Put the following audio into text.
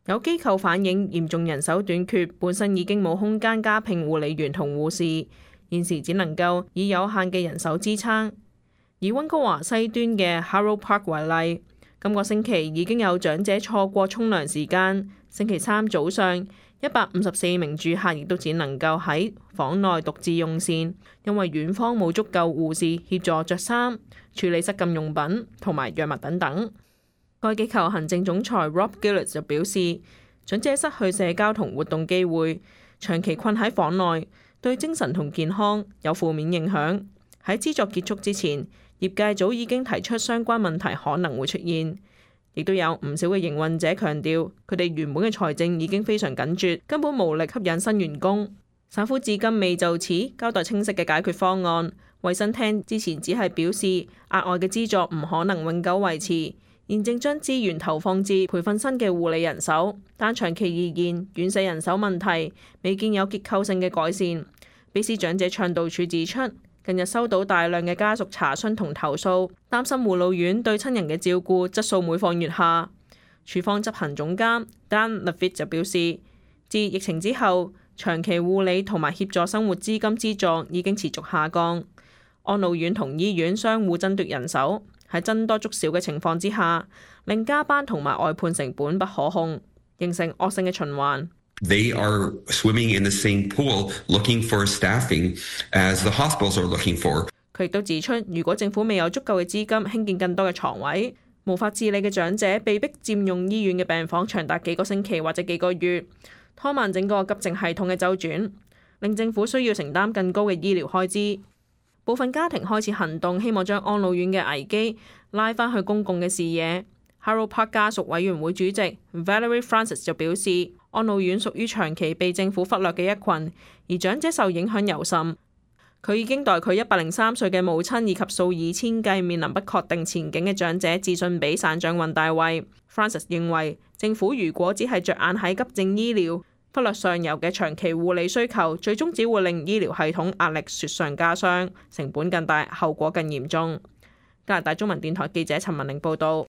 有機構反映嚴重人手短缺，本身已經冇空間加聘護理員同護士，現時只能夠以有限嘅人手支撐。以溫哥華西端嘅 Harold Park 為例，今個星期已經有長者錯過沖涼時間。星期三早上，154名住客亦都只能夠喺房內獨自用膳，因為院方冇足夠護士協助着衫、處理失禁用品同埋藥物等等。該機構行政總裁 Rob Gillett 就表示，長者失去社交同活動機會，長期困喺房內，對精神同健康有負面影響。喺資助結束之前，業界早已經提出相關問題可能會出現，亦都有唔少嘅營運者強調，佢哋原本嘅財政已經非常緊絀，根本無力吸引新員工。省府至今未就此交代清晰嘅解決方案。衛生廳之前只係表示，額外嘅資助唔可能永久維持，現正將資源投放至培訓新嘅護理人手，但長期而言，院舍人手問題未見有結構性嘅改善。卑斯長者倡導處指出，近日收到大量嘅家屬查詢同投訴，擔心護老院對親人嘅照顧質素每況愈下。處方執行總監 Dan Levitt 就表示，自疫情之後，長期護理同埋協助生活資金資助已經持續下降。安老院同醫院相互爭奪人手，喺僧多粥少嘅情況之下，令加班同埋外判成本不可控，形成惡性嘅循環。They are swimming in the same pool, looking for staffing as the hospitals are looking for. 佢亦都指出，如果政府未有足夠嘅資金興建更多嘅床位，無法自理嘅長者被迫佔用醫院嘅病房長達幾個星期或者幾個月，拖慢整個急症系統嘅周轉，令政府需要承擔更高嘅醫療開支。部分家庭開始行動，希望將安老院嘅危機拉返去公共嘅視野。Harold Park 家屬委員會主席 Valerie Francis 就表示，安老院屬於長期被政府忽略嘅一群，而長者受影響尤甚。佢已經代佢103歲嘅母親以及數以千計面臨不確定前景嘅長者致信俾省長雲大衛。Francis 認為，政府如果只係着眼喺急症醫療，忽略上游嘅長期護理需求，最終只會令醫療系統壓力雪上加霜，成本更大，後果更嚴重。加拿大中文電台記者陳文玲報導。